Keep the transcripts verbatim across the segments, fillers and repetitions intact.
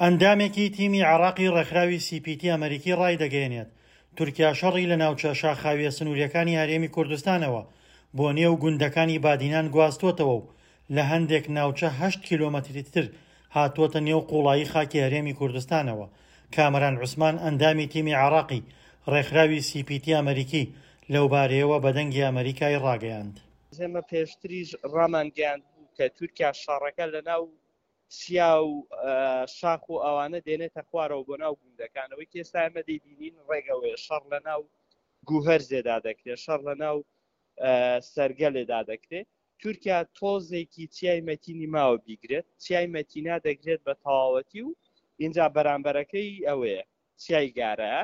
ئەندامێکی تیمی عێراقی ڕێکخراوی سی پی تی ئەمەریکی ڕایدەگەیەنێت، تورکیا شەڕی لە ناوچە شاخاویە سنووریەکانی هەرێمی کوردستانەوە بۆ نێو گوندەکانی بادینان گواستۆتەوە و لە هەندێک ناوچە هەشت کیلۆمەتری تر هاتووەتە نێو قوڵایی خاکی هەرێمی کوردستانەوە. کامەران عوسمان ئەندامی تیمی عێراقی ڕێکخراوی سی پی تی ئەمەریکی لەوبارەیەوە بە دەنگی ئەمەریکای ڕاگەیاند. ئێمە پێشتریش ڕامانگەیاند بوو کە تورکیا شەڕەکە لە ناو چیا و شاخ و ئەوانە دێنێتە خوارەوە بۆ ناو گوندەکانەوەی کە ئێستا ئێمە دەیبینین ڕێگەوەیە شەڕ لە ناو گوهەرزێدا دەکرێت، شەڕ لە ناو سەرگەلێدا دەکرێت. تورکیا تۆزێکی چیای مەتینی ماوە بیگرێت، چیای مەتینا دەگرێت بە تەواوەتی و اینجا بەرامبەرەکەی ئەوەیە چیای گارە.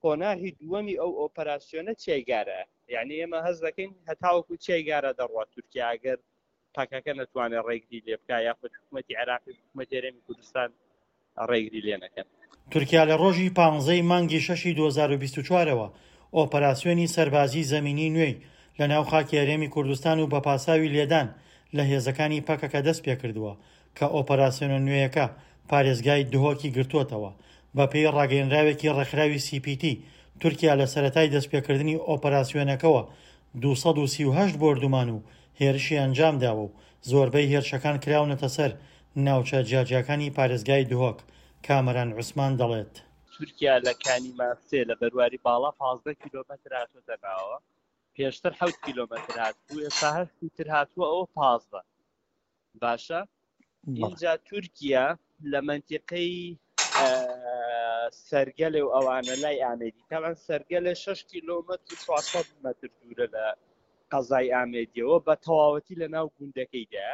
قۆناغی دووەمی ئەو ئۆپەراسیۆنە چیای گارە، یعنی ئێمە هەز دەکەین هەتاوەکو چیای گارە دەڕوات تورکیا ئەگەر پەکەکە نەتوانێت ڕێگری لێ بکا یاخود حکوومەتی عێراقی حکوومەتی هەرێمی کوردستان ڕێگری لێ نەکەن. تورکیا لە ڕۆژی پانزەی مانگی شەشی دوو هەزار و بیست و چوارەوە ئۆپەراسیۆنی سەربازی زەمینی نوێی لە ناو خاکی هەرێمی کوردستان و بە پاساوی لێدان لە هێزەکانی پەکەکە دەست پێکردووە کە ئۆپەراسیۆنە نوێیەکە پارێزگای دهۆکی گرتووەتەوە. بە پێی ڕاگەیەنراوێکی ڕێکخراوی سی پی تی، تورکیا لە سەرەتای دەستپێکردنی ئۆپەراسیۆنەکەوە دوو سەد و سی و هەشت بۆردومان و هێرشی ئەنجام داوە و زۆربەی هێرشەکان کراونەتە سەر ناوچە جیاجیاکانی پارێزگای دهۆک. کامەران عوسمان دەڵێت: تورکیا لە کانی ماسێ لە بەرواری باڵا پازدە کیلۆمەتر هاتووەتە ناوە، پێشتر حەوت کیلۆمەتر هاتبوو، ئێستا هەشتی تر هاتووە ئەوە پازدە. باشە، اینجا تورکیا لە منتیقەی سەرگەلێ و ئەوانە لای ئامێدی، تاوان سەرگەلێ شەش کیلۆمەتر و چوارسەد مەتر دوورە لە قەزای ئامێدیەوە، بە تەواوەتی لە ناو گوندەکەیدا.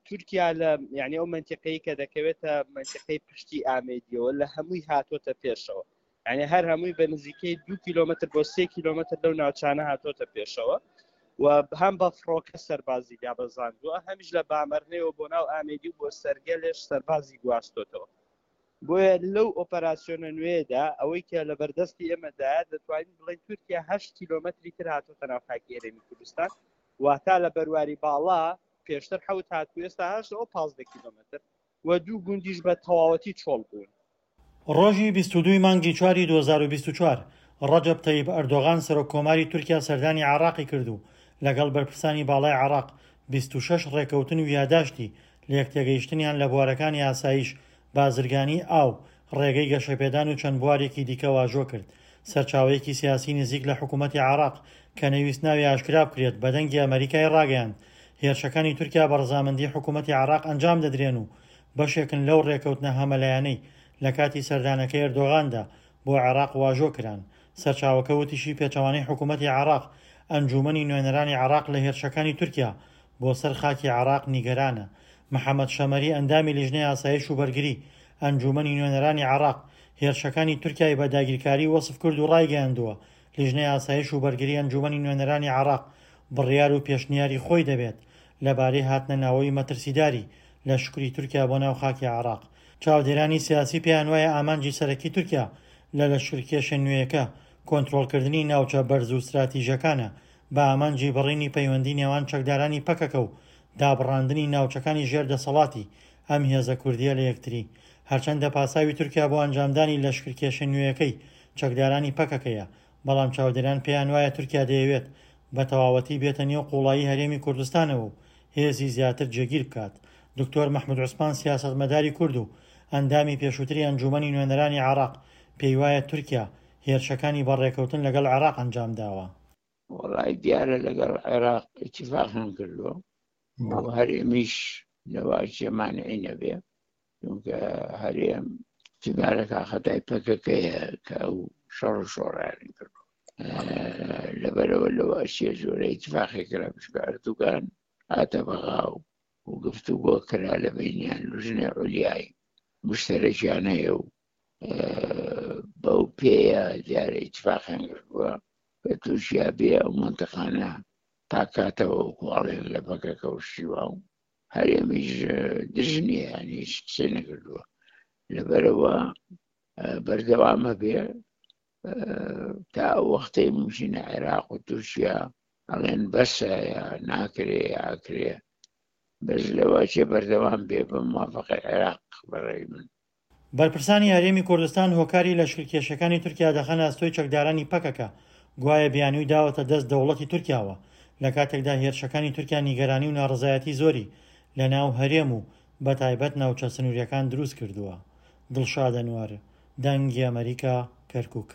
تورکیا لە یعنی ئەو منتیقەی کە دەکەوێتە منتیقەی پشتی ئامێدیەوە لە هەمووی هاتۆتە پێشەوە، یعنی هەر هەمووی بە نزیکەی دوو کیلۆمەتر بۆ سێ کیلۆمەتر لەو ناوچانە هاتۆتە پێشەوە و هەم بە فڕۆکە سەربازی دابەزاندووە، هەمیش لە بامەرنەوە بۆ ناو ئامێدی و بۆ سەرگەلێش سەربازی گواستۆتەوە. بۆیە لەو ئۆپەراسیۆنە نوێدا ئەوەی کە لە بەردەستی ئێمەدایە دەتوانین بڵێین تورکیا هەشت کیلۆمەتری تر هاتۆتە ناو خاکی هەرێمی کوردستان، واتا لە بەرواری باڵا پێشتر حەوت هاتوو ئێستا هەشت ئەو پازدە کیلۆمەتر و دوو گوندیش بە تەواوەتی چۆڵ بوون. ڕۆژی بیست و دووی مانگی چواری دوو هەزار و بیست و چوار ڕەجەب تەیب ئەردۆغان سەرۆک کۆماری تورکیا سەردانی عێراقی کرد و لەگەڵ بەرپرسانی باڵای عێراق بیست و شەش ڕێکەوتن و یاداشتی لێکتێگەیشتنیان لە بوارەکانی ئاسایش، بازرگانی، ئاو، ڕێگەی گەشەپێدان و چەند بوارێکی دیکە واژۆ کرد. سەرچاوەیەکی سیاسی نزیک لە حکوومەتی عێراق کە نەویست ناوی ئاشکرا بکرێت بە دەنگی ئەمەریکای ڕاگەیاند هێرشەکانی تورکیا بە ڕەزامەندی حکوومەتی عێراق ئەنجام دەدرێن و بەشێکن لەو ڕێکەوتنە هەمەلایەنەی لە کاتی سەردانەکەی ئەردۆغاندا بۆ عێراق واژۆ کران. سەرچاوەکە وتیشی پێچەوانەی حکوومەتی عێراق، ئەنجومەنی نوێنەرانی عێراق لە هێرشەکانی تورکیا بۆ سەر خاکی عێراق نیگەرانە. محەممەد شەمەری ئەندامی لیژنەی ئاسایش و بەرگری ئەنجومەنی نوێنەرانی عێراق هێرشەکانی تورکیای بە داگیرکاری وەسف کرد و ڕایگەیاندووە لیژنەی ئاسایش و بەرگری ئەنجومەنی نوێنەرانی عێراق بڕیار و پێشنیاری خۆی دەبێت لەبارەی هاتنە ناوەی مەترسیداری لە شکری تورکیا بۆ ناو خاکی عێراق. چاودێرانی سیاسی پێیان وایە ئامانجی سەرەکی تورکیا لە لەشکرکێشە نوێیەکە کۆنترۆڵکردنی ناوچە بەرز و استراتیژەکانە بە ئامانجی بڕینی پەیوەندی نێوان چەکدارانی پەکەکە و دابڕاندنی ناوچەکانی ژێر دەسەڵاتی ئەم هێزە کوردیە لە یەکتری. هەرچەندە پاساوی تورکیا بۆ ئەنجامدانی لەشکرکێشە نوێیەکەی چەکدارانی پەکەکەیە، بەڵام چاودێران پێیان وایە تورکیا دەیەوێت بە تەواوەتی بێتە نێو قوڵایی هەرێمی کوردستانەوە و هێزی زیاتر جێگیر بکات. دکتۆر مەحمود عوسمان سیاسەتمەداری کورد و ئەندامی پێشووتری ئەنجومەنی نوێنەرانی عێراق پێی وایە تورکیا هێرشەکانی بە ڕێکەوتن لەگەڵ عێراق ئەنجام داوە. وەڵای دیارە لەگەڵ عێراق ئیتیفاقیان کردووە و هەرێمیش لەواچێ مانعی نەبێ، چونکە هەرێم تیمارەکە خەتای پەکەکەیە کە ئەو شەڕ و شۆڕیان کردووە. لەبەرەوە لەوە ئەچێ جۆرە ئیتیفاقی کرا، بچکە ئەردوگان هاتە بەغا و گفتوگۆ کرا لە بینیان لوژنەی عولیای مشتەرەکیان هەیە و بەو پێیە دیارە ئیتیفاقیان کردووە کە تورکیا بێ ئەو منتەقانە پاکاتەوە و کواڵێن لە پەکەکە و شیوا و هەرێمیش دژ نییە، یعنی هیچ قسەی نەکردووە. لەبەرەوە بەردەوامە بێ تا ئەو وەختەی ممکنە عێراق و تورکیا ئەڵێن بەسە یا ناکرێ یا ئاکرێ بەس لەوەچێ بەردەوام بێ بە موافقەی عێراق بەڕێی من. بەرپرسانی هەرێمی کوردستان هۆکاری لەشکرکێشیەکانی تورکیا دەخەنە ئەستۆی چەکدارانی پەکەکە، گوایە بیانووی داوەتە دەست دەوڵەتی تورکیاوە، لەکاتێکدا هێرشەکانی تورکیا نیگەرانی و ناڕەزایەتی زۆری لەناو هەرێم و بەتایبەت ناوچە سنووریەکان دروستکردووە. دڵشاد ئەنوەر، دەنگی ئەمەریکا، کەرکوک.